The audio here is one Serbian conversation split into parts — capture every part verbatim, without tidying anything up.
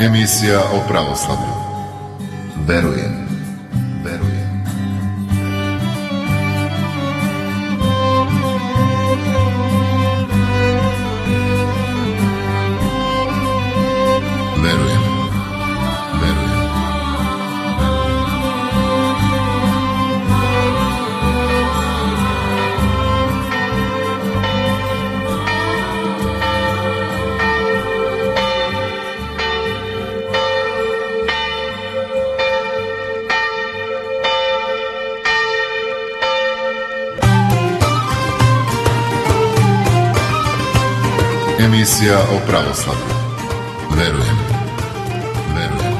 Emisija o pravoslavlju. Verujem, verujem. Verujem, verujem. Emisija o pravoslavlju. Verujem, verujem.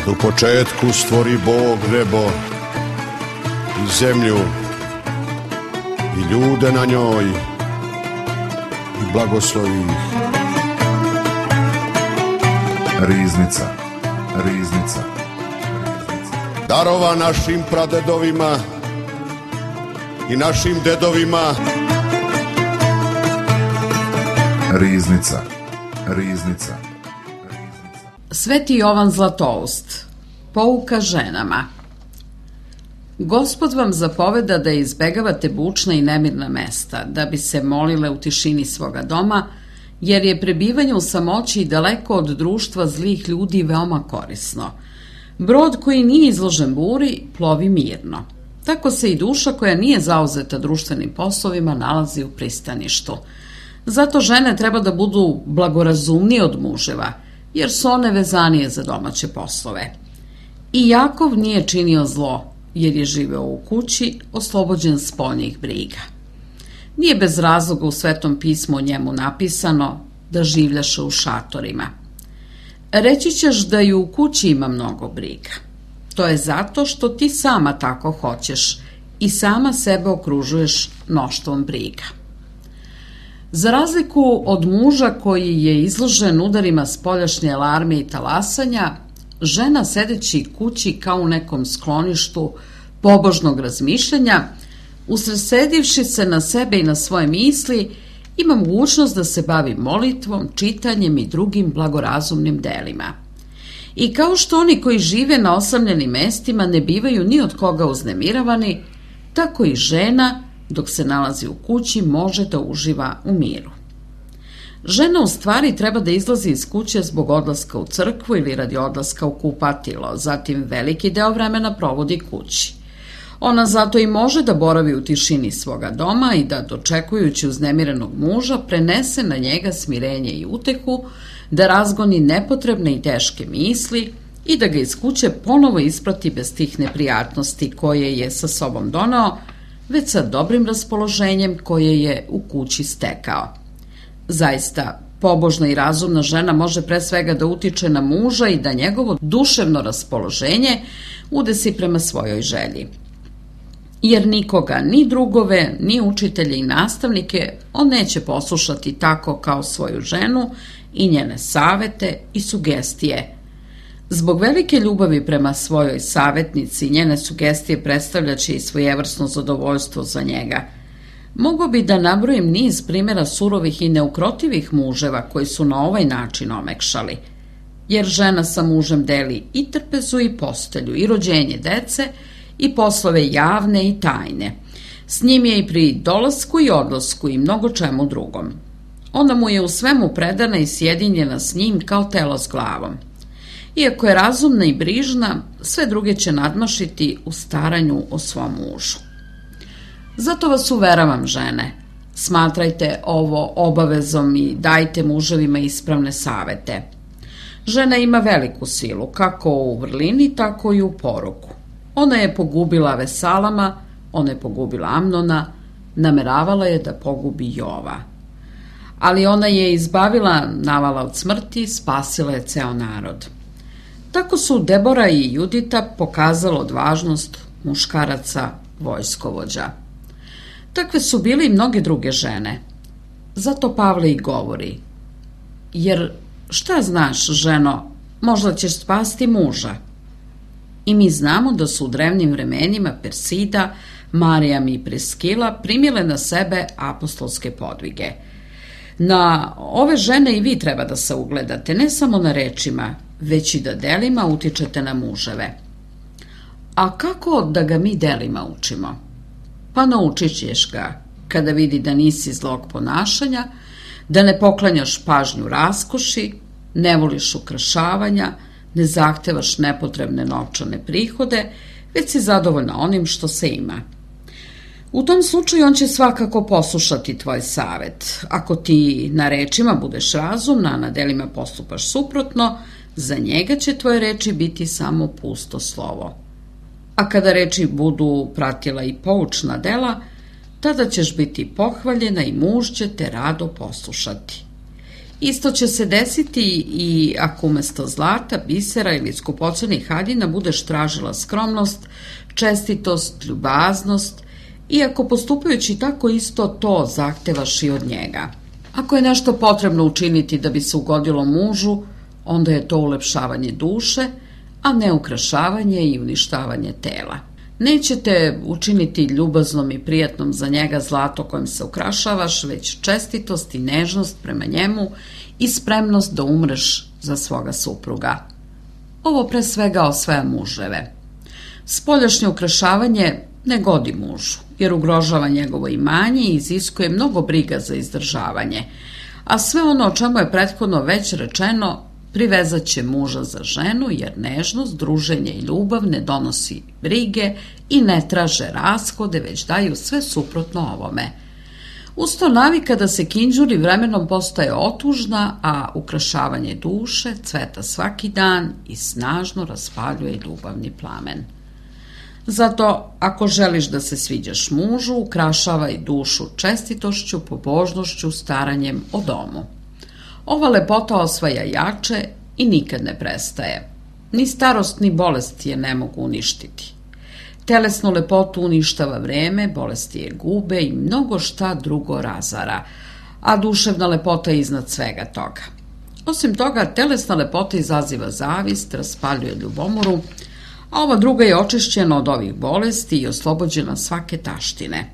U početku stvori Bog nebo i zemlju i ljude na njoj i blagoslovi ih. Riznica, riznica. Darova našim pradedovima i našim dedovima. Riznica, riznica. Sveti Jovan Zlatoust, pouka ženama. Gospod vam zapoveda da izbegavate bučna i nemirna mesta, da bi se molile u tišini svoga doma, jer je prebivanje u samoći daleko od društva zlih ljudi veoma korisno. Brod koji nije izložen buri plovi mirno. Tako se i duša koja nije zauzeta društvenim poslovima nalazi u pristaništu. Zato žene treba da budu blagorazumnije od muževa, jer su one vezanije za domaće poslove. I Jakov nije činio zlo, jer je živeo u kući, oslobođen spoljnih briga. Nije bez razloga u Svetom pismu o njemu napisano da življaše u šatorima. Reći ćeš da i u kući ima mnogo briga. To je zato što ti sama tako hoćeš i sama sebe okružuješ mnoštvom briga. Za razliku od muža koji je izložen udarima spoljašnje alarme i talasanja, žena sedeći kući kao u nekom skloništu pobožnog razmišljanja, usredsredivši se na sebe i na svoje misli, ima mogućnost da se bavi molitvom, čitanjem i drugim blagorazumnim delima. I kao što oni koji žive na osamljenim mestima ne bivaju ni od koga uznemiravani, tako i žena, dok se nalazi u kući, može da uživa u miru. Žena u stvari treba da izlazi iz kuće zbog odlaska u crkvu ili radi odlaska u kupatilo, zatim veliki deo vremena provodi kući. Ona zato i može da boravi u tišini svoga doma i da, dočekujući uznemirenog muža, prenese na njega smirenje i utehu, da razgoni nepotrebne i teške misli i da ga iz kuće ponovo isprati bez tih neprijatnosti koje je sa sobom doneo, već sa dobrim raspoloženjem koje je u kući stekao. Zaista, pobožna i razumna žena može pre svega da utiče na muža i da njegovo duševno raspoloženje udesi prema svojoj želji. Jer nikoga, ni drugove, ni učitelje i nastavnike, on neće poslušati tako kao svoju ženu i njene savete i sugestije. Zbog velike ljubavi prema svojoj savetnici, njene sugestije predstavljaće i svojevrsno zadovoljstvo za njega. Mogu bi da nabrojim niz primjera surovih i neukrotivih muževa koji su na ovaj način omekšali. Jer žena sa mužem deli i trpezu i postelju, i rođenje dece, i poslove javne i tajne. S njim je i pri dolasku i odlasku i mnogo čemu drugom. Ona mu je u svemu predana i sjedinjena s njim kao telo s glavom. Iako je razumna i brižna, sve druge će nadmašiti u staranju o svom mužu. Zato vas uveravam, žene, smatrajte ovo obavezom i dajte muževima ispravne savete. Žena ima veliku silu, kako u vrlini, tako i u poruku. Ona je pogubila Vesalama, ona je pogubila Amnona, nameravala je da pogubi Jova. Ali ona je izbavila Navala od smrti, spasila je ceo narod. Tako su Debora i Judita pokazala odvažnost muškaraca vojskovođa. Takve su bile i mnoge druge žene. Zato Pavle i govori: jer šta znaš, ženo, možda ćeš spasti muža. I mi znamo da su u drevnim vremenima Persida, Marijam i Priskila primile na sebe apostolske podvige. Na ove žene i vi treba da se ugledate, ne samo na rečima, već i da delima utičete na muževe. A kako da ga mi delima učimo? Pa naučit ćeš ga kada vidi da nisi zlog ponašanja, da ne poklanjaš pažnju raskoši, ne voliš ukrašavanja, ne zahtevaš nepotrebne novčane prihode, već si zadovoljna onim što se ima. U tom slučaju on će svakako poslušati tvoj savet. Ako ti na rečima budeš razumna, a na delima postupaš suprotno, za njega će tvoje reči biti samo pusto slovo. A kada reči budu pratila i poučna dela, tada ćeš biti pohvaljena i muž će te rado poslušati. Isto će se desiti i ako umesto zlata, bisera ili skupocenih haljina budeš tražila skromnost, čestitost, ljubaznost, i ako postupajući tako isto to zahtevaš i od njega. Ako je nešto potrebno učiniti da bi se ugodilo mužu, onda je to ulepšavanje duše, a ne ukrašavanje i uništavanje tela. Nećete učiniti ljubaznom i prijatnom za njega zlato kojim se ukrašavaš, već čestitost i nežnost prema njemu i spremnost da umreš za svoga supruga. Ovo pre svega osvaja muževe. Spoljašnje ukrašavanje ne godi mužu, jer ugrožava njegovo imanje i iziskuje mnogo briga za izdržavanje, a sve ono o čemu je prethodno već rečeno privezat će muža za ženu, jer nežnost, druženje i ljubav ne donosi brige i ne traže rashode, već daju sve suprotno ovome. Usto navika da se kinđuri vremenom postaje otužna, a ukrašavanje duše cveta svaki dan i snažno raspaljuje ljubavni plamen. Zato, ako želiš da se sviđaš mužu, ukrašavaj dušu čestitošću, pobožnošću, staranjem o domu. Ova lepota osvaja jače i nikad ne prestaje. Ni starost ni bolest je ne mogu uništiti. Telesnu lepotu uništava vreme, bolesti je gube i mnogo šta drugo razara, a duševna lepota je iznad svega toga. Osim toga, telesna lepota izaziva zavist, raspaljuje ljubomoru, a ova druga je očišćena od ovih bolesti i oslobođena svake taštine.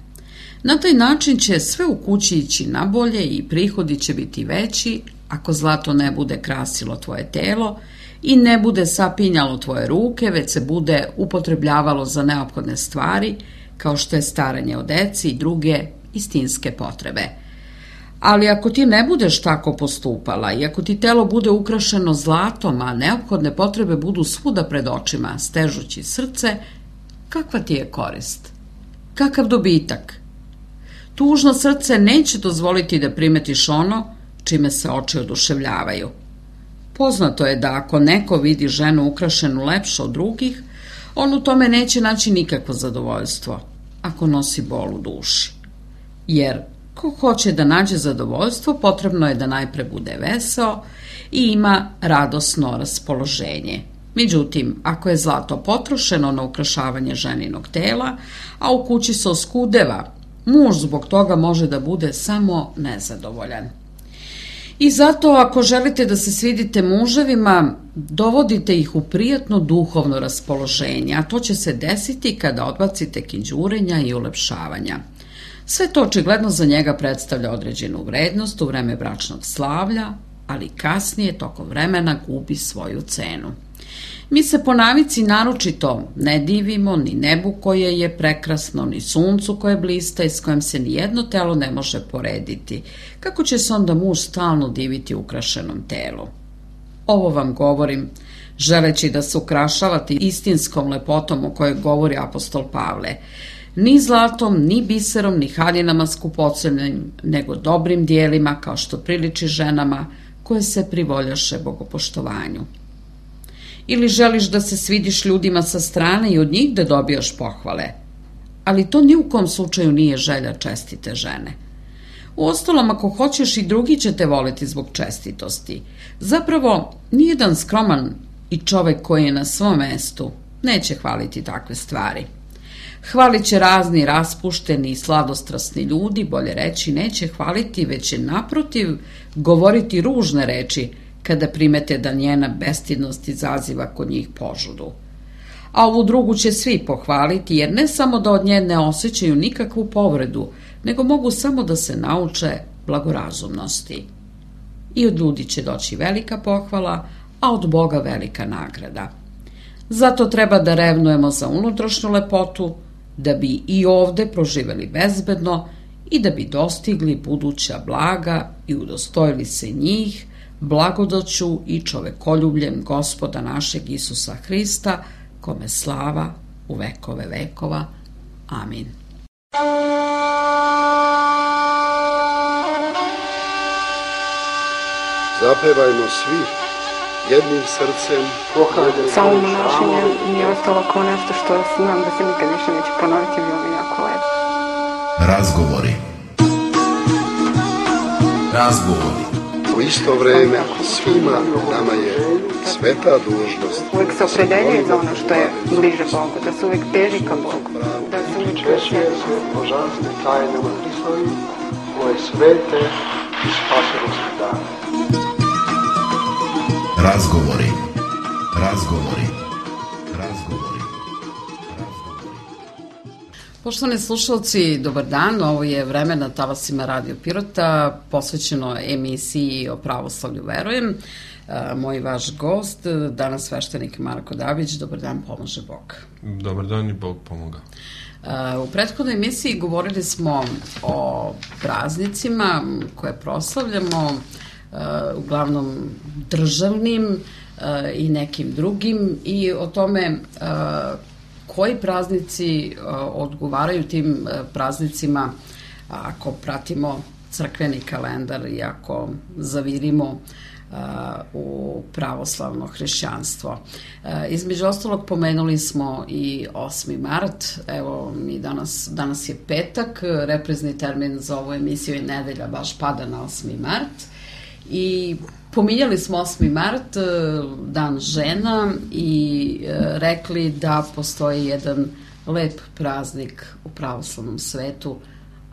Na taj način će sve u kući ići nabolje i prihodi će biti veći ako zlato ne bude krasilo tvoje telo i ne bude sapinjalo tvoje ruke, već se bude upotrebljavalo za neophodne stvari, kao što je staranje o deci i druge istinske potrebe. Ali ako ti ne budeš tako postupala i ako ti telo bude ukrašeno zlatom, a neophodne potrebe budu svuda pred očima, stežući srce, kakva ti je korist? Kakav dobitak? Tužno srce neće dozvoliti da primetiš ono čime se oči oduševljavaju. Poznato je da ako neko vidi ženu ukrašenu lepše od drugih, on u tome neće naći nikakvo zadovoljstvo, ako nosi bol u duši. Jer ko hoće da nađe zadovoljstvo, potrebno je da najpre bude veseo i ima radosno raspoloženje. Međutim, ako je zlato potrošeno na ukrašavanje ženinog tela, a u kući se oskudeva, muž zbog toga može da bude samo nezadovoljan. I zato, ako želite da se svidite muževima, dovodite ih u prijatno duhovno raspoloženje, a to će se desiti kada odbacite kinđurenja i ulepšavanja. Sve to očigledno za njega predstavlja određenu vrednost u vreme bračnog slavlja, ali kasnije tokom vremena gubi svoju cenu. Mi se po navici naročito ne divimo ni nebu koje je prekrasno, ni suncu koje blista i s kojim se nijedno telo ne može porediti. Kako će se onda muž stalno diviti ukrašenom telu? Ovo vam govorim, želeći da se ukrašavate istinskom lepotom o kojoj govori apostol Pavle. Ni zlatom, ni biserom, ni haljinama skupocenim, nego dobrim dijelima, kao što priliči ženama koje se privoljaše bogopoštovanju. Ili želiš da se svidiš ljudima sa strane i od njih da dobijaš pohvale. Ali to ni u kom slučaju nije želja čestite žene. Uostalom, ako hoćeš, i drugi će te voliti zbog čestitosti. Zapravo, nijedan skroman i čovek koji je na svom mestu neće hvaliti takve stvari. Hvalit će razni raspušteni i sladostrasni ljudi, bolje reći, neće hvaliti, već će naprotiv govoriti ružne reči kada primete da njena bestidnost izaziva kod njih požudu. A ovu drugu će svi pohvaliti, jer ne samo da od nje ne osjećaju nikakvu povredu, nego mogu samo da se nauče blagorazumnosti. I od ljudi će doći velika pohvala, a od Boga velika nagrada. Zato treba da revnujemo za unutrašnju lepotu, da bi i ovde proživeli bezbedno i da bi dostigli buduća blaga i udostojili se njih blagodaću i čovekoljubljem Gospoda našeg Isusa Hrista, kome slava u vekove vekova. Amin. Zapevajmo svi jednim srcem. Samo monašenje mi je ostalo kao nešto što znam da se nikad više neće ponoviti, bilo mi jako lepo. Razgovori. Razgovori. U isto vreme svima nama je sveta dužnost. Uvijek se opredeljuje za ono što je bliže Bogu, da se uvijek teži ka Bogu, da se uvijek češuje se božanstvim tajnama Hristovim, koje svete i spasilosti dane. Razgovori. Razgovori. Razgovori. Poštovani slušalci, dobar dan. Ovo je vreme na talasima Radio Pirota, posvećeno emisiji o pravoslavlju verujem. Moj vaš gost, danas sveštenik Marko Dabić. Dobar dan, pomože Bog. Dobar dan i Bog pomoga. U prethodnoj emisiji govorili smo o praznicima koje proslavljamo, uglavnom državnim i nekim drugim, i o tome koji praznici odgovaraju tim praznicima ako pratimo crkveni kalendar i ako zavirimo u pravoslavno hrišćanstvo. Između ostalog pomenuli smo i osmi mart, evo mi danas, danas je petak, reprizni termin za ovu emisiju je nedelja, baš pada na osmi mart. I pominjali smo osmi mart, dan žena, i rekli da postoji jedan lep praznik u pravoslavnom svetu,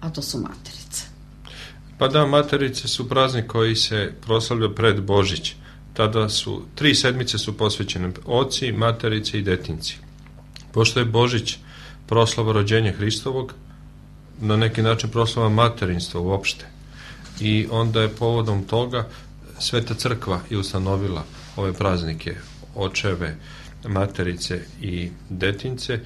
a to su materice. Pa da, Materice su praznik koji se proslavlja pred Božić. Tada su, tri sedmice su posvećene oci, materice i detinci. Pošto je Božić proslava rođenja Hristovog, na neki način proslava materinstva uopšte. I onda je povodom toga Sveta crkva je ustanovila ove praznike, očeve, materice i detince,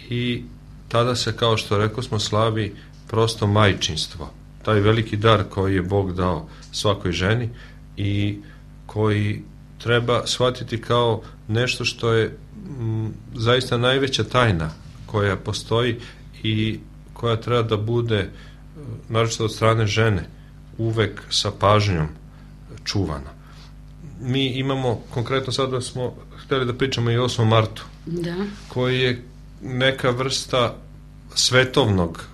i tada se, kao što rekao smo, slavi prosto majčinstvo. Taj veliki dar koji je Bog dao svakoj ženi i koji treba shvatiti kao nešto što je m, zaista najveća tajna koja postoji i koja treba da bude, naročito od strane žene, uvek sa pažnjom čuvana. Mi imamo, konkretno sada smo hteli da pričamo i o osmom martu, da, koji je neka vrsta svetovnog,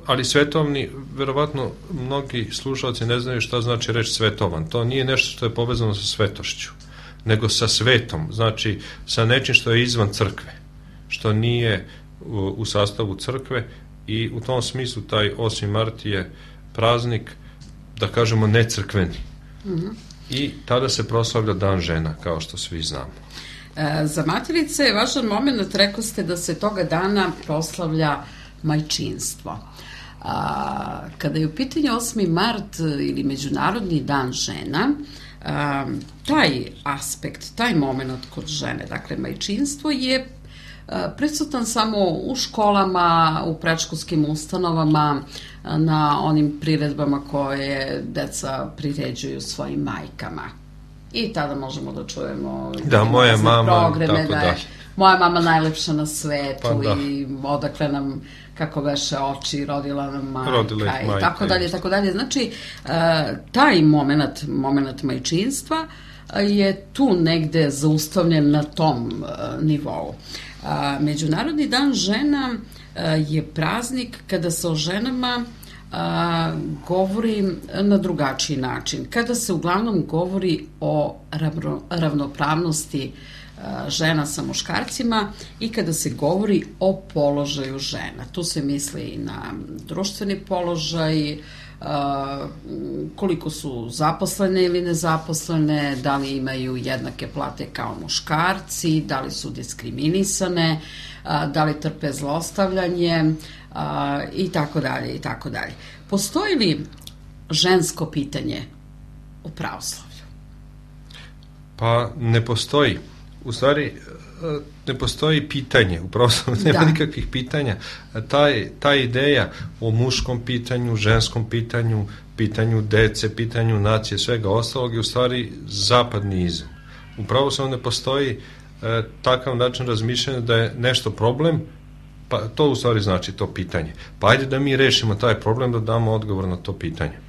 ali svetovni, verovatno mnogi slušalci ne znaju šta znači reč svetovan. To nije nešto što je povezano sa svetošću, nego sa svetom, znači sa nečim što je izvan crkve, što nije u, u sastavu crkve, i u tom smislu taj osmi mart je praznik, da kažemo, necrkveni. Mm-hmm. I tada se proslavlja Dan žena, kao što svi znamo. E, za materice je važan moment, rekao ste da se toga dana proslavlja majčinstvo. A, kada je u pitanju osmi mart ili Međunarodni dan žena, a, taj aspekt, taj moment kod žene, dakle majčinstvo, je prisutan samo u školama, u predškolskim ustanovama, na onim priredbama koje deca priređuju svojim majkama. I tada možemo da čujemo da, moja mama, programe, da je moja mama najlepša na svetu, pa, da. I odakle nam, kako veše oči, rodila nam majka, rodila ih majka, i tako dalje, tako dalje. Znači, taj moment, moment majčinstva je tu negde zaustavljen na tom nivou. Međunarodni dan žena je praznik kada se o ženama govori na drugačiji način, kada se uglavnom govori o ravnopravnosti žena sa muškarcima i kada se govori o položaju žena. Tu se misli i na društveni položaj, koliko su zaposlene ili nezaposlene, da li imaju jednake plate kao muškarci, da li su diskriminisane, da li trpe zlostavljanje i tako dalje i tako dalje. Postoji li žensko pitanje u pravoslavlju? Pa ne postoji. U stvari, ne postoji pitanje, upravo nema da. nikakvih pitanja. Taj, ta ideja o muškom pitanju, ženskom pitanju, pitanju dece, pitanju nacije, svega ostalog je u stvari zapadni izum. Upravo se ne postoji e, takav način razmišljanja da je nešto problem, pa to u stvari znači to pitanje. Pa ajde da mi rešimo taj problem, da damo odgovor na to pitanje.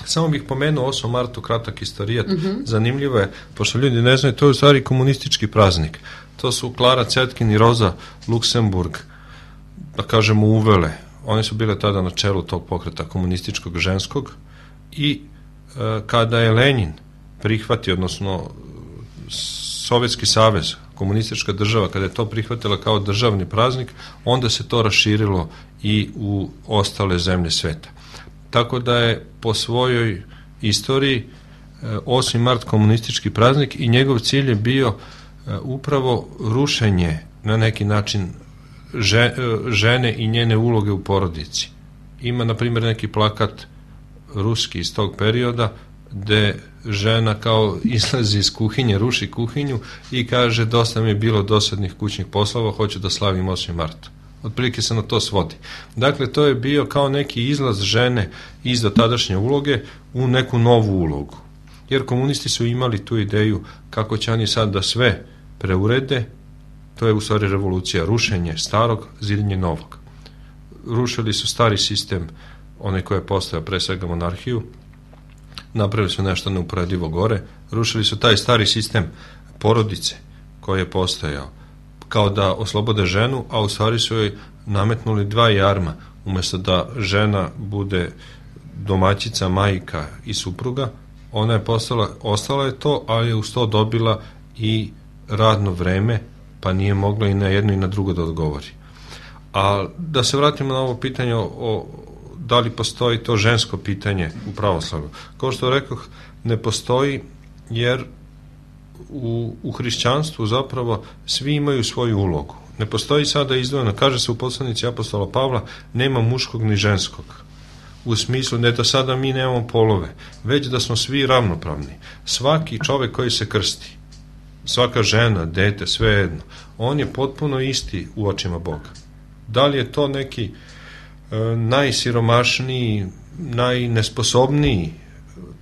Samo bih pomenuo osmom martu kratak istorijat. Mm-hmm. Zanimljivo je, pošto ljudi ne znaju, to je u stvari komunistički praznik. To su Klara Cetkin i Roza Luksemburg, da kažemo, uvele. One su bile tada na čelu tog pokreta komunističkog ženskog i e, kada je Lenin prihvatio, odnosno Sovjetski savez, komunistička država, kada je to prihvatila kao državni praznik, onda se to raširilo i u ostale zemlje sveta. Tako da je po svojoj istoriji osmi mart komunistički praznik i njegov cilj je bio upravo rušenje na neki način žene i njene uloge u porodici. Ima, na primjer, neki plakat ruski iz tog perioda gde žena kao izlazi iz kuhinje, ruši kuhinju i kaže: dosta mi je bilo dosadnih kućnih poslova, hoću da slavim osmi mart. Otprilike se na to svodi. Dakle, to je bio kao neki izlaz žene iz dotadašnje uloge u neku novu ulogu. Jer komunisti su imali tu ideju kako će oni sad da sve preurede, to je u stvari revolucija, rušenje starog, zidanje novog. Rušili su stari sistem, onaj koji je postojao, pre svega monarhiju, napravili su nešto neuporedivo gore, rušili su taj stari sistem porodice koji je postojao, kao da oslobode ženu, a u stvari su joj nametnuli dva jarma. Umjesto da žena bude domaćica, majka i supruga, ona je postala, ostala je to, ali je uz to dobila i radno vreme, pa nije mogla i na jedno i na drugo da odgovori. A da se vratimo na ovo pitanje o da li postoji to žensko pitanje u pravoslavlju. Kao što rekoh, ne postoji, jer u, u hrišćanstvu zapravo svi imaju svoju ulogu. Ne postoji sada izdvojeno, kaže se u poslanici apostola Pavla, nema muškog ni ženskog. U smislu ne da sada mi nemamo polove, već da smo svi ravnopravni. Svaki čovek koji se krsti, svaka žena, dete, svejedno, on je potpuno isti u očima Boga. Da li je to neki e, najsiromašniji, najnesposobniji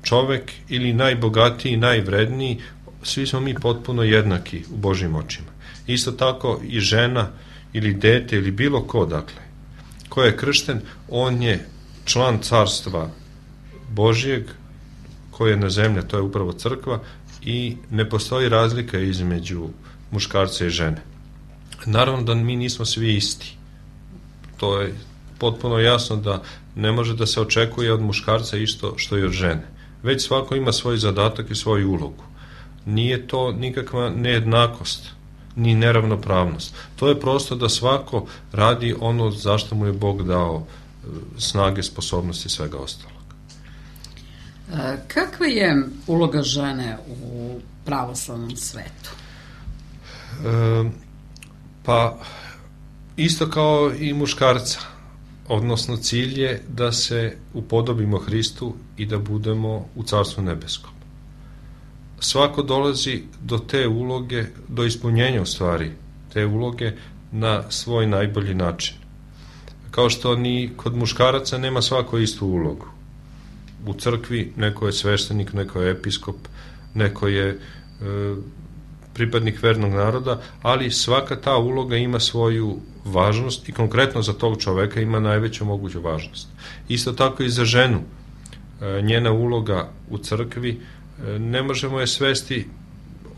čovek ili najbogatiji, najvredniji, svi smo mi potpuno jednaki u Božjim očima. Isto tako i žena ili dete ili bilo ko, dakle, ko je kršten, on je član carstva Božjeg koje je na zemlji, to je upravo crkva, i ne postoji razlika između muškarca i žene. Naravno da mi nismo svi isti. To je potpuno jasno da ne može da se očekuje od muškarca isto što i od žene. Već svako ima svoj zadatak i svoju ulogu. Nije to nikakva nejednakost, ni neravnopravnost. To je prosto da svako radi ono zašto mu je Bog dao snage, sposobnosti i svega ostalog. Kakva je uloga žene u pravoslavnom svetu? E, pa, isto kao i muškarca. Odnosno, cilj je da se upodobimo Hristu i da budemo u Carstvu nebeskom. Svako dolazi do te uloge, do ispunjenja u stvari te uloge na svoj najbolji način. Kao što ni kod muškaraca nema svako istu ulogu. U crkvi neko je sveštenik, neko je episkop, neko je e, pripadnik vernog naroda, ali svaka ta uloga ima svoju važnost i konkretno za tog čoveka ima najveću moguću važnost. Isto tako i za ženu. E, njena uloga u crkvi, e, ne možemo je svesti.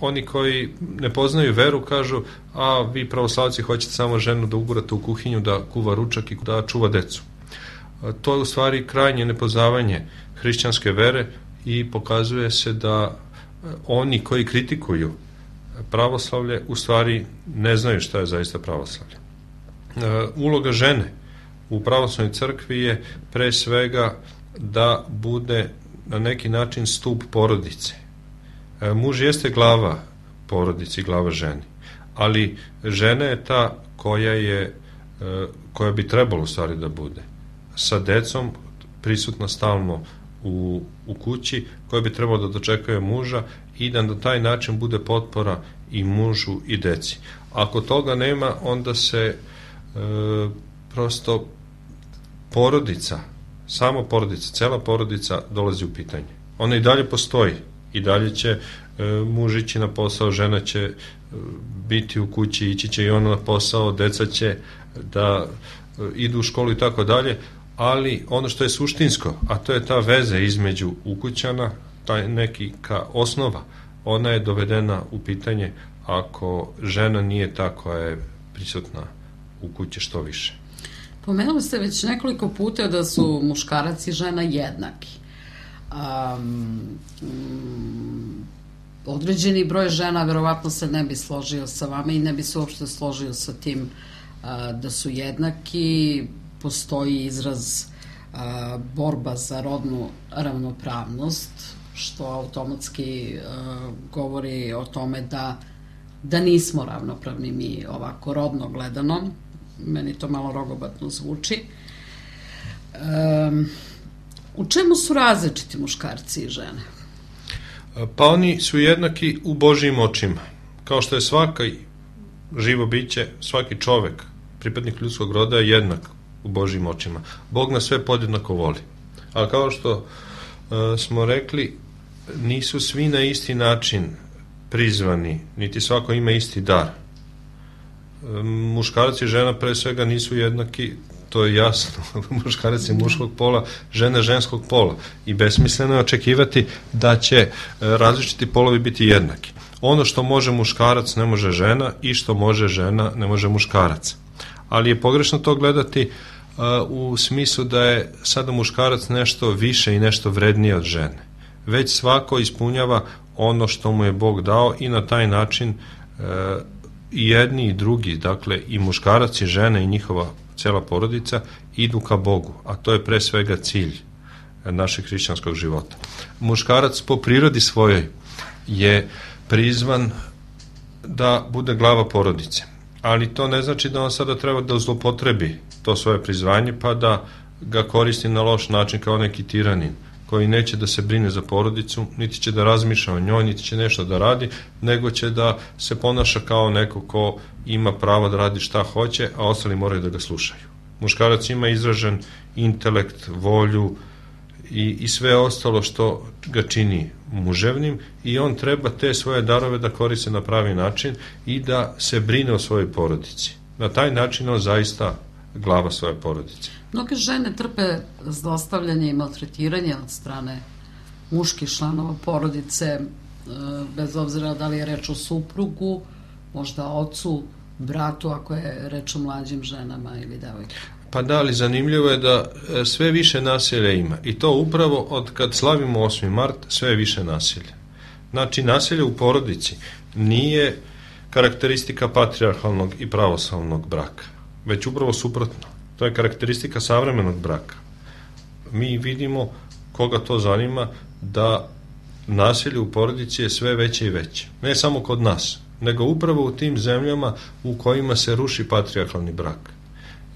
Oni koji ne poznaju veru kažu, a vi pravoslavci hoćete samo ženu da ugurate u kuhinju, da kuva ručak i da čuva decu. To je u stvari krajnje nepoznavanje hrišćanske vere i pokazuje se da oni koji kritikuju pravoslavlje u stvari ne znaju šta je zaista pravoslavlje. Uloga žene u pravoslavnoj crkvi je pre svega da bude na neki način stup porodice. Muž jeste glava porodici, glava ženi, ali žena je ta koja je, koja bi trebalo u stvari da bude sa decom, prisutna stalno u, u kući, koja bi trebalo da dočekuje muža i da na taj način bude potpora i mužu i deci. Ako toga nema, onda se e, prosto porodica, samo porodica, cela porodica dolazi u pitanje. Ona i dalje postoji, i dalje će e, muž ići na posao, žena će e, biti u kući, ići će i ona na posao, deca će da e, idu u školu i tako dalje, ali ono što je suštinsko, a to je ta veza između ukućana, taj neki ka osnova, ona je dovedena u pitanje ako žena nije ta koja je prisutna u kući što više. Pomenuli ste već nekoliko puta da su muškarac i žena jednaki. Um, um, određeni broj žena verovatno se ne bi složio sa vama i ne bi se uopšte složio sa tim uh, da su jednaki. Postoji izraz uh, borba za rodnu ravnopravnost, što automatski uh, govori o tome da, da nismo ravnopravni mi ovako rodno gledano. Meni to malo rogobatno zvuči. Um, u čemu su različiti muškarci i žene? Pa oni su jednaki u Božjim očima. Kao što je svaki živo biće, svaki čovek, pripadnik ljudskog roda je jednak u Božjim očima. Bog nas sve podjednako voli. Ali kao što uh, smo rekli, nisu svi na isti način prizvani, niti svako ima isti dar. Uh, muškarci i žena pre svega nisu jednaki, to je jasno. Muškarac je muškog pola, žena ženskog pola. I besmisleno je očekivati da će uh, različiti polovi biti jednaki. Ono što može muškarac ne može žena i što može žena ne može muškarac. Ali je pogrešno to gledati uh, u smislu da je sada muškarac nešto više i nešto vrednije od žene. Već svako ispunjava ono što mu je Bog dao i na taj način uh, i jedni i drugi, dakle i muškarac i žena i njihova cela porodica, idu ka Bogu, a to je pre svega cilj našeg hrišćanskog života. Muškarac po prirodi svojoj je prizvan da bude glava porodice, ali to ne znači da on sada treba da zlopotrebi to svoje prizvanje pa da ga koristi na loš način kao neki tiranin koji neće da se brine za porodicu, niti će da razmišlja o njoj, niti će nešto da radi, nego će da se ponaša kao neko ko ima pravo da radi šta hoće, a ostali moraju da ga slušaju. Muškarac ima izražen intelekt, volju i, i sve ostalo što ga čini muževnim i on treba te svoje darove da koriste na pravi način i da se brine o svojoj porodici. Na taj način on zaista glava svoje porodice. Mnoge žene trpe zlostavljanje i maltretiranje od strane muških članova porodice, bez obzira da li je reč o suprugu, možda ocu, bratu, ako je reč o mlađim ženama ili devojkama. Pa da, ali zanimljivo je da sve više nasilja ima i to upravo od kad slavimo osmi mart sve više nasilja. Znači, nasilje u porodici nije karakteristika patrijarhalnog i pravoslavnog braka, već upravo suprotno. To je karakteristika savremenog braka. Mi vidimo, koga to zanima, da nasilje u porodici je sve veće i veće. Ne samo kod nas, nego upravo u tim zemljama u kojima se ruši patrijarhalni brak.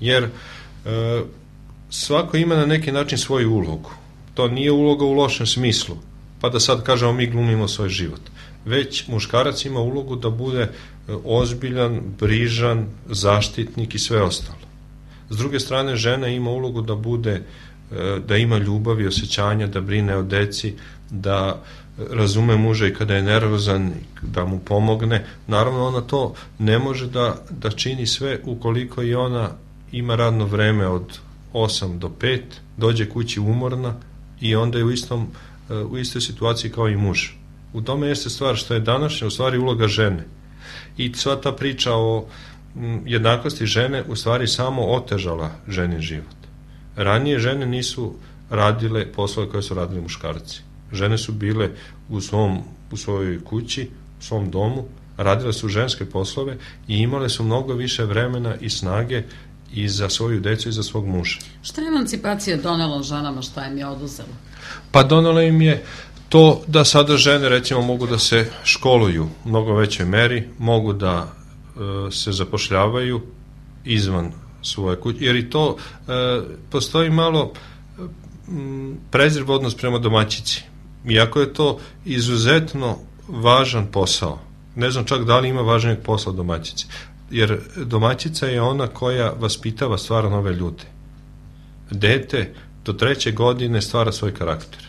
Jer e, svako ima na neki način svoju ulogu. To nije uloga u lošem smislu, pa da sad kažemo mi glumimo svoj život. Već muškarac ima ulogu da bude ozbiljan, brižan, zaštitnik i sve ostalo. S druge strane, žena ima ulogu da bude, da ima ljubav i osjećanja, da brine o deci, da razume muža i kada je nervozan, da mu pomogne. Naravno, ona to ne može da, da čini sve ukoliko i ona ima radno vreme od osam do pet, dođe kući umorna i onda je u, istom, u istoj situaciji kao i muž. U tome jeste stvar što je današnja u stvari uloga žene. I sva ta priča o jednakosti žene u stvari samo otežala ženin život. Ranije žene nisu radile poslove koje su radili muškarci. Žene su bile u, svom, u svojoj kući, u svom domu, radile su ženske poslove i imale su mnogo više vremena i snage i za svoju decu i za svog muža. Šta je emancipacija donela ženama, šta im je oduzela? Pa donela im je to da sada žene recimo mogu da se školuju u mnogo većoj meri, mogu da e, se zapošljavaju izvan svoje kuće, jer i to e, postoji malo m, prezir odnos prema domaćici. Iako je to izuzetno važan posao, ne znam čak da li ima važnijeg posla od domaćice, jer domaćica je ona koja vaspitava, stvara nove ljude. Dete do treće godine stvara svoj karakter.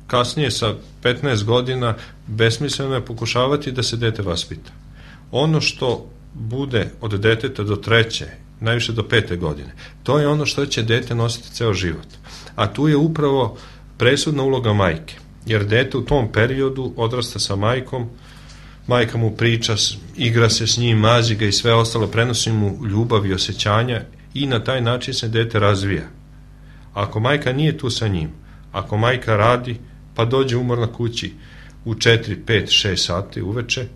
Kasnije sa petnaest godina besmisleno je pokušavati da se dete vaspita. Ono što bude od deteta do treće, najviše do pete godine, to je ono što će dete nositi ceo život. A tu je upravo presudna uloga majke, jer dete u tom periodu odrasta sa majkom, majka mu priča, igra se s njim, mazi ga i sve ostalo, prenosi mu ljubav i osjećanja i na taj način se dete razvija. Ako majka nije tu sa njim, ako majka radi, pa dođe umorna kući u četiri, pet, šest sati uveče,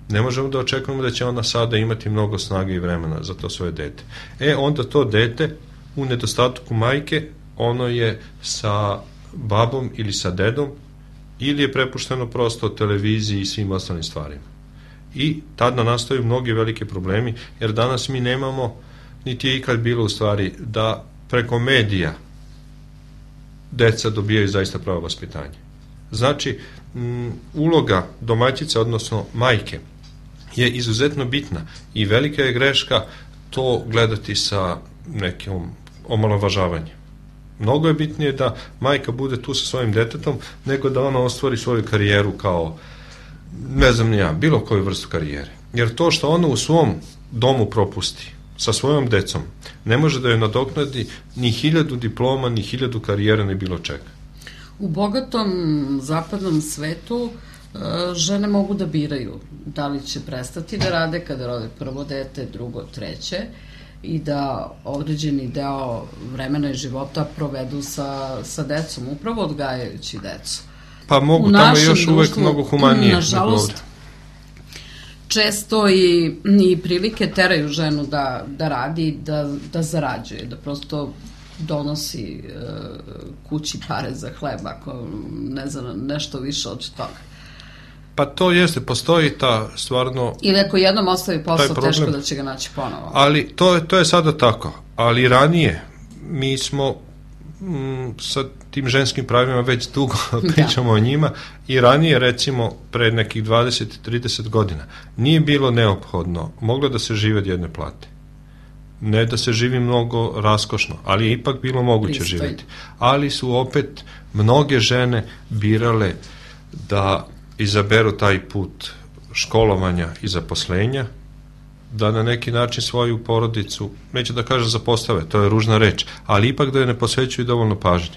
ne možemo da očekujemo da će ona sada imati mnogo snage i vremena za to svoje dete. E, onda to dete, u nedostatku majke, ono je sa babom ili sa dedom, ili je prepušteno prosto televiziji i svim ostalim stvarima. I tada nastaju mnogi veliki problemi, jer danas mi nemamo, niti je ikad bilo u stvari, da preko medija deca dobijaju zaista pravo vaspitanje. Znači, m, uloga domaćice, odnosno majke, je izuzetno bitna i velika je greška to gledati sa nekim omalovažavanjem. Mnogo je bitnije da majka bude tu sa svojim detetom nego da ona ostvari svoju karijeru kao, ne znam ni ja, bilo koju vrstu karijere. Jer to što ona u svom domu propusti sa svojom decom ne može da joj nadoknadi ni hiljadu diploma, ni hiljadu karijera, ni bilo čega. U bogatom zapadnom svetu žene mogu da biraju da li će prestati da rade kada rode prvo dete, drugo, treće i da određeni deo vremena i života provedu sa, sa decom, upravo odgajajući decu. Pa mogu, tamo je još uvek mnogo humanije. Nažalost, često i, i prilike teraju ženu da, da radi, da, da zarađuje, da prosto donosi e, kući pare za hleb, ako ne znam, nešto više od toga. Pa to jeste, postoji ta stvarno... Ili ako jednom ostavi posao, teško da će ga naći ponovo. Ali to, to je sada tako. Ali ranije mi smo m, sa tim ženskim pravima već dugo pričamo da. o njima i ranije, recimo, pre nekih dvadeset do trideset godina nije bilo neophodno, moglo da se žive od jedne plate. Ne da se živi mnogo raskošno, ali je ipak bilo moguće Pristojno. živjeti. Ali su opet mnoge žene birale da izaberu taj put školovanja i zaposlenja, da na neki način svoju porodicu, neću da kažem zapostave, to je ružna reč, ali ipak da je ne posvećuju dovoljno pažnje.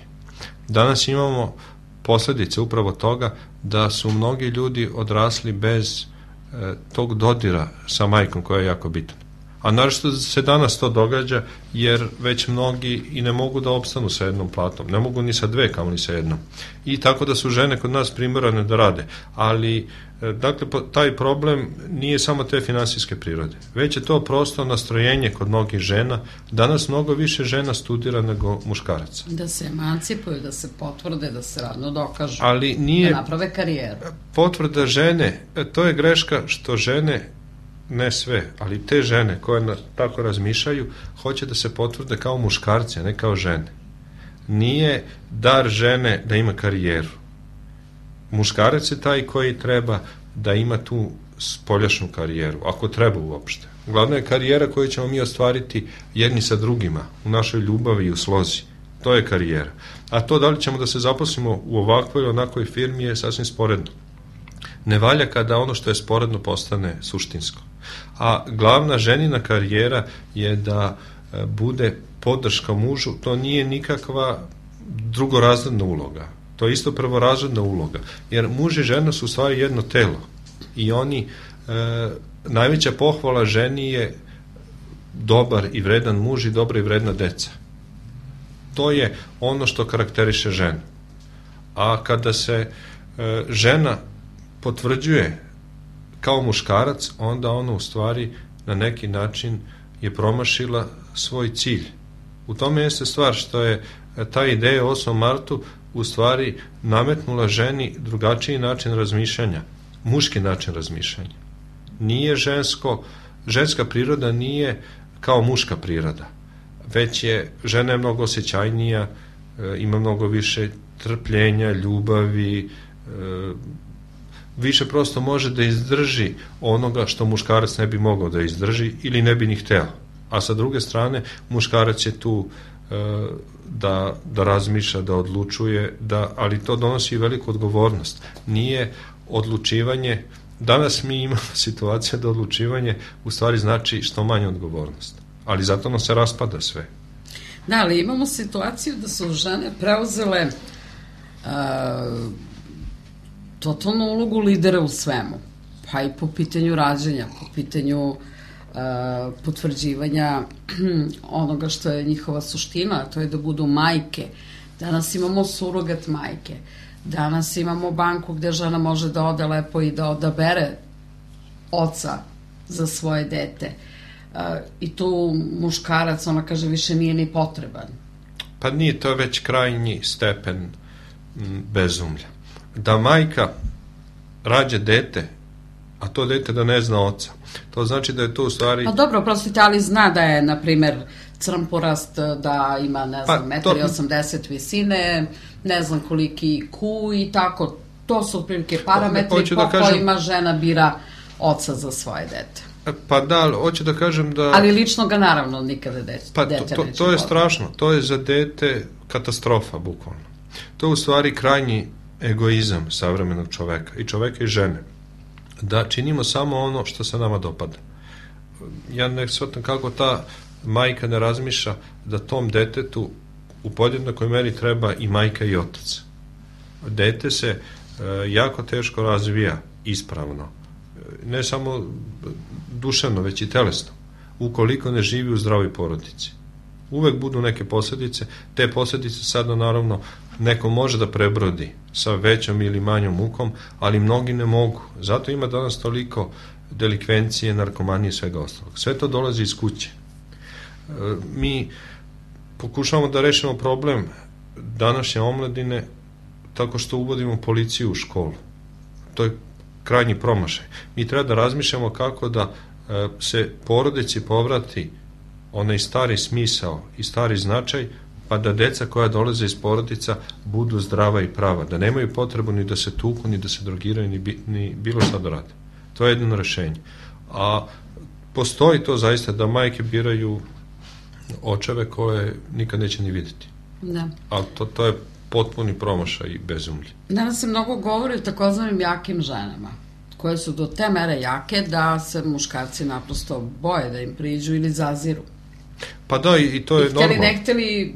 Danas imamo posledice upravo toga da su mnogi ljudi odrasli bez e, tog dodira sa majkom, koja je jako bitna. A naravno se danas to događa jer već mnogi i ne mogu da opstanu sa jednom platom, ne mogu ni sa dve, kao ni sa jednom. I tako da su žene kod nas primorane da rade. Ali, dakle, taj problem nije samo te finansijske prirode, već je to prosto nastrojenje kod mnogih žena. Danas mnogo više žena studira nego muškaraca. Da se emancipuju, da se potvrde, da se radno dokažu, ali nije, da naprave karijeru. Potvrda žene, to je greška što žene, ne sve, ali te žene koje na, tako razmišljaju, hoće da se potvrde kao muškarci, a ne kao žene. Nije dar žene da ima karijeru. Muškarac je taj koji treba da ima tu spoljašnju karijeru, ako treba uopšte. Glavna je karijera koju ćemo mi ostvariti jedni sa drugima, u našoj ljubavi i u slozi. To je karijera. A to da li ćemo da se zaposlimo u ovakvoj ili onakvoj firmi je sasvim sporedno. Ne valja kada ono što je sporedno postane suštinsko. A glavna ženina karijera je da bude podrška mužu, to nije nikakva drugorazredna uloga. To je isto prvorazredna uloga. Jer muž i žena su u stvari jedno telo. I oni, e, najveća pohvala ženi je dobar i vredan muž i dobra i vredna deca. To je ono što karakteriše ženu. A kada se e, žena potvrđuje kao muškarac, onda ona u stvari na neki način je promašila svoj cilj. U tome jeste stvar što je ta ideja o osmom martu u stvari nametnula ženi drugačiji način razmišljanja, muški način razmišljanja. Nije žensko, ženska priroda nije kao muška priroda, već je, žena je mnogo osjećajnija, ima mnogo više trpljenja, ljubavi, više prosto može da izdrži onoga što muškarac ne bi mogao da izdrži ili ne bi ni hteo. A sa druge strane, muškarac je tu e, da, da razmišlja, da odlučuje, da, ali to donosi veliku odgovornost. Nije odlučivanje, danas mi imamo situaciju da odlučivanje u stvari znači što manje odgovornost. Ali zato nam se raspada sve. Da, ali imamo situaciju da su žene preuzele uh, totalnu ulogu lidera u svemu, pa i po pitanju rađanja, po pitanju uh, potvrđivanja onoga što je njihova suština, a to je da budu majke. Danas imamo surogat majke, danas imamo banku gde žena može da ode lepo i da odabere oca za svoje dete. Uh, i tu muškarac, ona kaže, više nije ni potreban. Pa nije, to već krajnji stepen m, bezumlja. Da majka rađe dete, a to dete da ne zna oca, to znači da je to u stvari... Pa dobro, prostite, ali zna da je, na primer, crnporast, da ima, ne znam, pa, to... osamdeset visine, ne znam koliki ku i tako. To su otprilike parametri po da kažem... kojima žena bira oca za svoje dete. Pa da, hoću da kažem da... Ali lično ga naravno nikada dete, pa dete to, to, to je strašno, to je za dete katastrofa, bukvalno. To je u stvari krajnji egoizam savremenog čoveka, i čoveka i žene, da činimo samo ono što se nama dopada. Ja ne shvatam kako ta majka ne razmišlja da tom detetu u podjednakoj meri treba i majka i otac. Dete se e, jako teško razvija ispravno, ne samo duševno, već i telesno, ukoliko ne živi u zdravoj porodici. Uvek budu neke posljedice, te posljedice sad naravno neko može da prebrodi sa većom ili manjom mukom, ali mnogi ne mogu. Zato ima danas toliko delikvencije, narkomanije i svega ostalog. Sve to dolazi iz kuće. Mi pokušavamo da rešimo problem današnje omladine tako što uvodimo policiju u školu. To je krajnji promašaj. Mi treba da razmišljamo kako da se porodici povrati onaj stari smisao i stari značaj, pa da deca koja dolaze iz porodica budu zdrava i prava, da nemaju potrebu ni da se tuku, ni da se drogiraju, ni, bi, ni bilo šta da rade. To je jedno rešenje. A postoji to zaista da majke biraju očeve koje nikad neće ni vidjeti. Da. Ali to, to je potpuni promašaj i bezumlje. Danas se mnogo govori o takozvanim jakim ženama, koje su do te mere jake da se muškarci naprosto boje da im priđu ili zaziru. Pa da, i to je normalno. I htjeli ne htjeli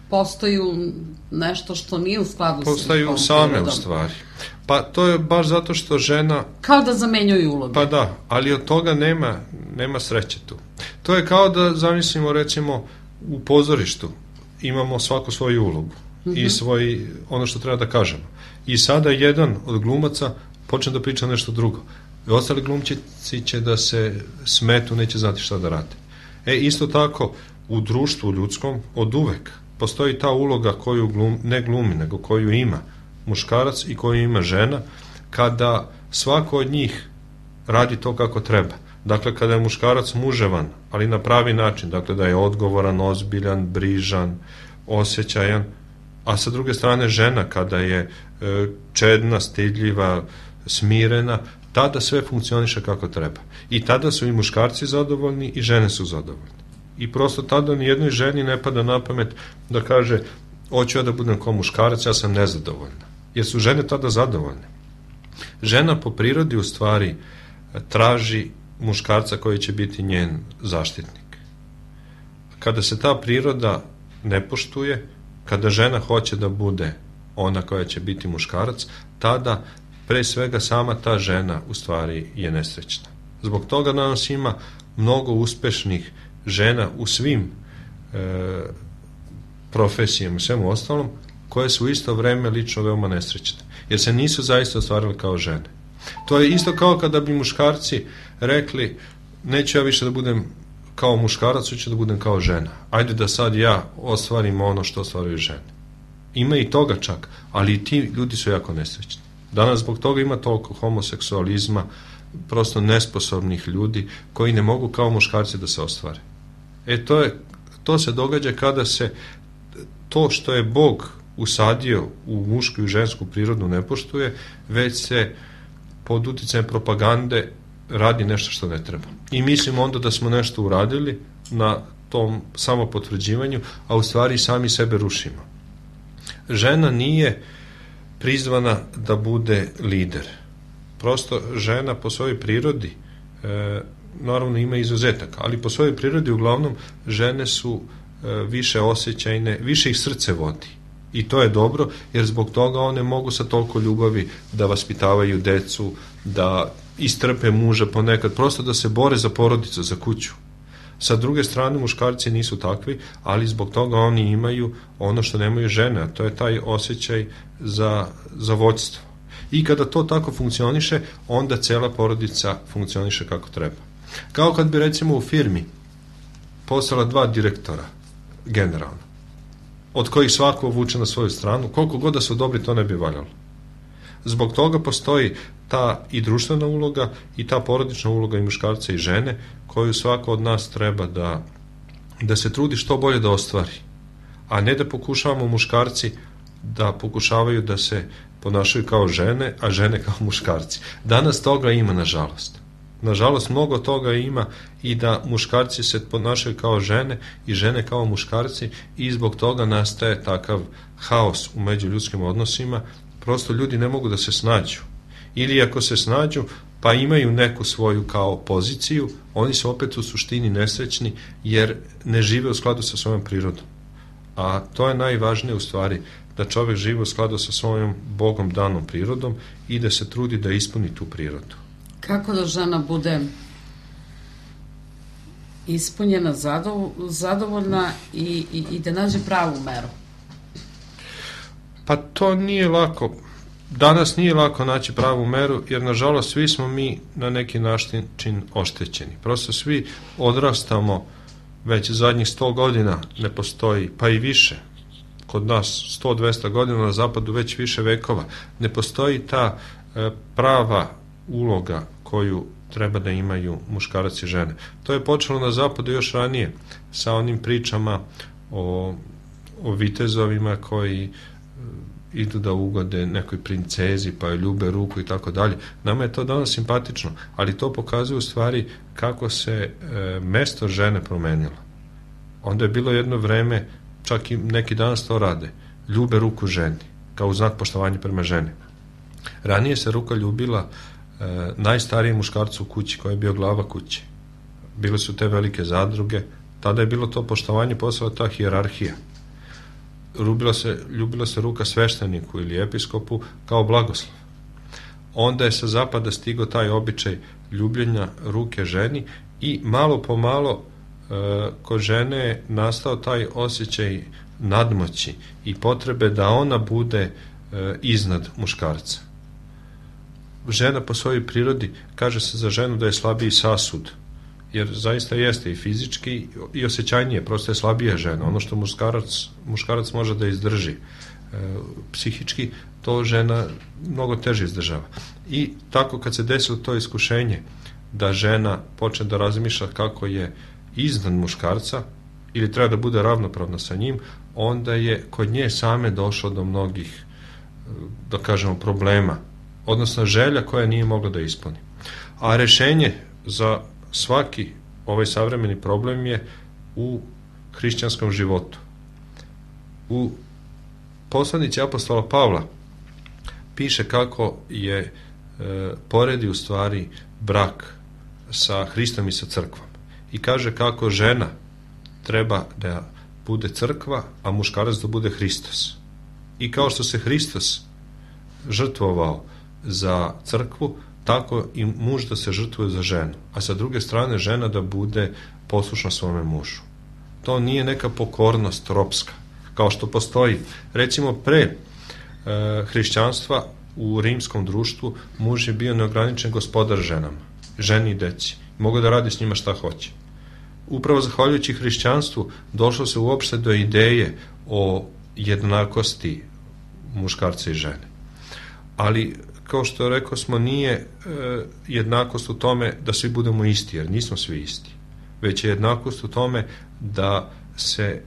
postaju nešto što nije u skladu sa postaju same prirodom. U stvari. Pa to je baš zato što žena... Kao da zamenjuju uloge. Pa da, ali od toga nema, nema sreće tu. To je kao da zamislimo recimo u pozorištu imamo svaku svoju ulogu mm-hmm. i svoj, ono što treba da kažemo. I sada jedan od glumaca počne da priča nešto drugo. I ostali glumčici će da se smetu, neće znati šta da rade. E, isto tako, u društvu ljudskom od uvek postoji ta uloga koju glum, ne glumi, nego koju ima muškarac i koju ima žena, kada svako od njih radi to kako treba. Dakle, kada je muškarac muževan, ali na pravi način, dakle da je odgovoran, ozbiljan, brižan, osjećajan, a sa druge strane žena kada je e, čedna, stidljiva, smirena, tada sve funkcioniše kako treba. I tada su i muškarci zadovoljni i žene su zadovoljne. I prosto tada ni jednoj ženi ne pada na pamet da kaže hoću ja da budem kao muškarac, ja sam nezadovoljna. Jer su žene tada zadovoljne. Žena po prirodi u stvari traži muškarca koji će biti njen zaštitnik. Kada se ta priroda ne poštuje, kada žena hoće da bude ona koja će biti muškarac, tada pre svega sama ta žena u stvari je nesrećna. Zbog toga danas ima mnogo uspešnih žena u svim e, profesijama i svemu ostalom, koje su u isto vreme lično veoma nesrećne. Jer se nisu zaista ostvarili kao žene. To je isto kao kada bi muškarci rekli neću ja više da budem kao muškarac, hoću da budem kao žena. Ajde da sad ja ostvarim ono što ostvaruju žene. Ima i toga čak, ali i ti ljudi su jako nesrećni. Danas zbog toga ima toliko homoseksualizma, prosto nesposobnih ljudi koji ne mogu kao muškarci da se ostvare. E to, je, to se događa kada se to što je Bog usadio u mušku i žensku prirodu ne poštuje, već se pod uticajem propagande radi nešto što ne treba. I mislimo onda da smo nešto uradili na tom samopotvrđivanju, a u stvari sami sebe rušimo. Žena nije prizvana da bude lider. Prosto žena po svojoj prirodi, e, naravno ima izuzetaka, ali po svojoj prirodi uglavnom žene su e, više osjećajne, više ih srce vodi. I to je dobro, jer zbog toga one mogu sa toliko ljubavi da vaspitavaju decu, da istrpe muža ponekad, prosto da se bore za porodicu, za kuću. Sa druge strane, muškarci nisu takvi, ali zbog toga oni imaju ono što nemaju žene, a to je taj osjećaj za, za vođstvo. I kada to tako funkcioniše, onda cela porodica funkcioniše kako treba. Kao kad bi recimo u firmi postala dva direktora, generalno, od kojih svako vuče na svoju stranu, koliko god da su dobri, to ne bi valjalo. Zbog toga postoji ta i društvena uloga i ta porodična uloga i muškarca i žene, koju svako od nas treba da, da se trudi što bolje da ostvari. A ne da pokušavamo muškarci da pokušavaju da se ponašaju kao žene, a žene kao muškarci. Danas toga ima, nažalost. Nažalost, mnogo toga ima i da muškarci se ponašaju kao žene i žene kao muškarci i zbog toga nastaje takav haos u međuljudskim odnosima. Prosto ljudi ne mogu da se snađu. Ili ako se snađu, pa imaju neku svoju kao poziciju, oni su opet u suštini nesrećni jer ne žive u skladu sa svojom prirodom. A to je najvažnije u stvari, da čovjek živi u skladu sa svojom Bogom danom prirodom i da se trudi da ispuni tu prirodu. Kako da žena bude ispunjena, zadovoljna i, i, i da nađe pravu meru? Pa to nije lako. danas nije lako naći pravu meru, jer nažalost svi smo mi na neki način oštećeni. Prosto svi odrastamo, već zadnjih sto godina ne postoji, pa i više, kod nas sto do dvesta godina, na zapadu već više vekova, ne postoji ta e, prava uloga koju treba da imaju muškarac i žene. To je počelo na zapadu još ranije, sa onim pričama o, o vitezovima koji e, idu da ugode nekoj princezi, pa joj ljube ruku i tako dalje. Nama je to danas simpatično, ali to pokazuje u stvari kako se e, mesto žene promenilo. Onda je bilo jedno vreme, čak i neki danas to rade, ljube ruku ženi, kao znak poštovanja prema ženi. Ranije se ruka ljubila e, najstarijem muškarcu u kući, koji je bio glava kuće. Bile su te velike zadruge, tada je bilo to poštovanje, postala ta hijerarhija. Ljubila se, ljubila se ruka svešteniku ili episkopu kao blagoslov. Onda je sa zapada stigao taj običaj ljubljenja ruke ženi i malo po malo e, kod žene je nastao taj osjećaj nadmoći i potrebe da ona bude e, iznad muškarca. Žena po svojoj prirodi, kaže se za ženu da je slabiji sasud, jer zaista jeste i fizički i osjećajnije, prosto je slabija žena. Ono što muškarac, muškarac može da izdrži e, psihički, to žena mnogo teže izdržava. I tako kad se desilo to iskušenje da žena počne da razmišlja kako je iznad muškarca ili treba da bude ravnopravna sa njim, onda je kod nje same došlo do mnogih, da kažemo, problema, odnosno želja koja nije mogla da ispuni. A rešenje za svaki ovaj savremeni problem je u hrišćanskom životu. U poslanici apostola Pavla piše kako je e, poredi u stvari brak sa Hristom i sa crkvom. I kaže kako žena treba da bude crkva, a muškarac da bude Hristos. I kao što se Hristos žrtvovao za crkvu, tako i muž da se žrtvuje za ženu, a sa druge strane žena da bude poslušna svome mužu. To nije neka pokornost ropska, kao što postoji. Recimo pre e, hrišćanstva u rimskom društvu muž je bio neograničen gospodar ženama, ženi i deci. Mogu da radi s njima šta hoće. Upravo zahvaljujući hrišćanstvu došlo se uopšte do ideje o jednakosti muškarca i žene. Ali kao što rekao smo, nije e, jednakost u tome da svi budemo isti, jer nismo svi isti. Već je jednakost u tome da se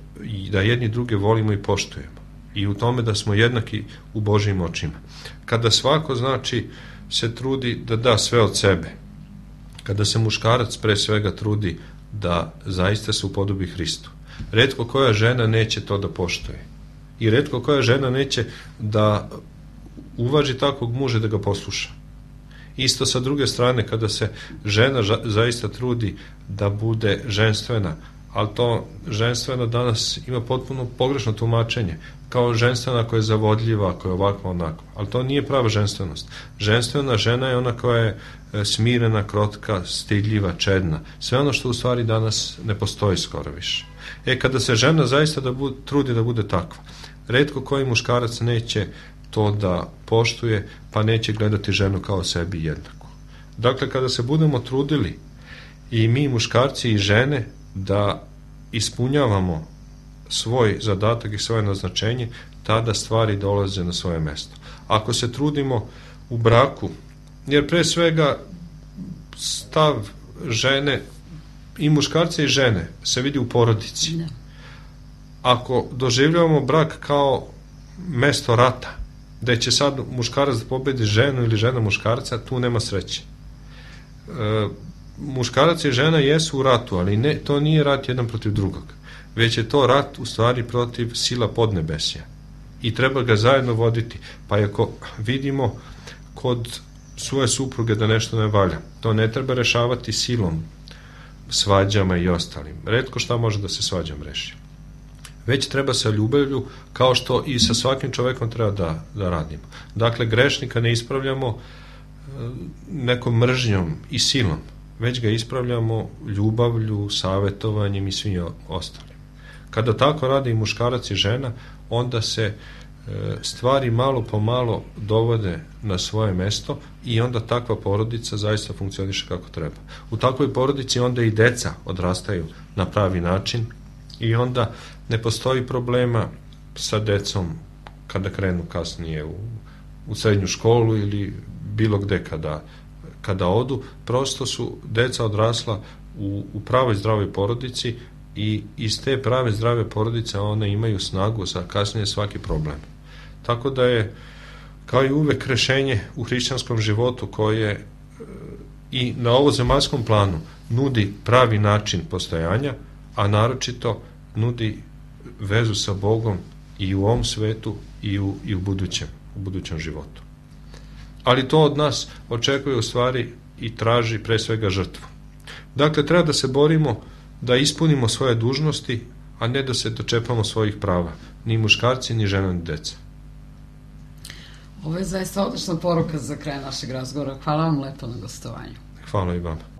da jedni druge volimo i poštujemo. I u tome da smo jednaki u Božjim očima. Kada svako, znači, se trudi da da sve od sebe, kada se muškarac pre svega trudi da zaista se upodobi Hristu, retko koja žena neće to da poštuje. I retko koja žena neće da uvaži takvog muža da ga posluša. Isto sa druge strane, kada se žena zaista trudi da bude ženstvena, ali to ženstvena danas ima potpuno pogrešno tumačenje, kao ženstvena koja je zavodljiva, koja je ovakva onakva, ali to nije prava ženstvenost. Ženstvena žena je ona koja je smirena, krotka, stidljiva, čedna, sve ono što u stvari danas ne postoji skoro više. E, kada se žena zaista da bude, trudi da bude takva, retko koji muškarac neće to da poštuje, pa neće gledati ženu kao sebi jednaku. Dakle, kada se budemo trudili i mi muškarci i žene da ispunjavamo svoj zadatak i svoje naznačenje, tada stvari dolaze na svoje mesto. Ako se trudimo u braku, jer pre svega stav žene i muškarca i žene se vidi u porodici. Ako doživljavamo brak kao mesto rata, da će sad muškarac da pobedi ženu ili žena muškarca, tu nema sreće. E, muškarac i žena jesu u ratu, ali ne, to nije rat jedan protiv drugog, već je to rat u stvari protiv sila podnebesja i treba ga zajedno voditi. Pa ako vidimo kod svoje supruge da nešto ne valja, to ne treba rešavati silom, svađama i ostalim. Retko šta može da se svađam reši. Već treba sa ljubavlju, kao što i sa svakim čovekom treba da, da radimo. Dakle, grešnika ne ispravljamo nekom mržnjom i silom, već ga ispravljamo ljubavlju, savetovanjem i svim ostalim. Kada tako radi i muškarac i žena, onda se stvari malo po malo dovode na svoje mesto i onda takva porodica zaista funkcioniše kako treba. U takvoj porodici onda i deca odrastaju na pravi način i onda ne postoji problema sa decom kada krenu kasnije u, u srednju školu ili bilo gde kada, kada odu. Prosto su deca odrasla u, u pravoj zdravoj porodici i iz te prave zdrave porodice one imaju snagu za kasnije svaki problem. Tako da je, kao i uvek, rešenje u hrišćanskom životu koje e, i na ovozemaljskom planu nudi pravi način postojanja, a naročito nudi vezu sa Bogom i u ovom svetu i u, i u budućem, u budućem životu. Ali to od nas očekuje u stvari i traži pre svega žrtvu. Dakle, treba da se borimo da ispunimo svoje dužnosti, a ne da se dočepamo svojih prava, ni muškarci, ni žena, ni deca. Ovo je zaista odlična poruka za kraj našeg razgovora. Hvala vam lepo na gostovanju. Hvala i vama.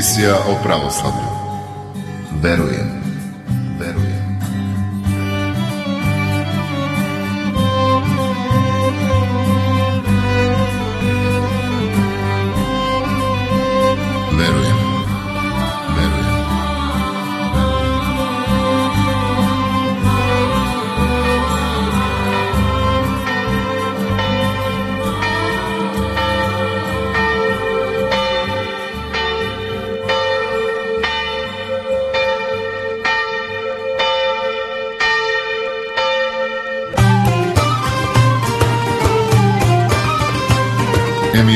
Emisija o pravoslavlju. Verujem. Verujem. Verujem. Verujem.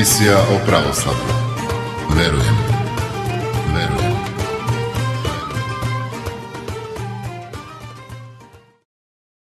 Emisija o pravoslavlju. Verujem.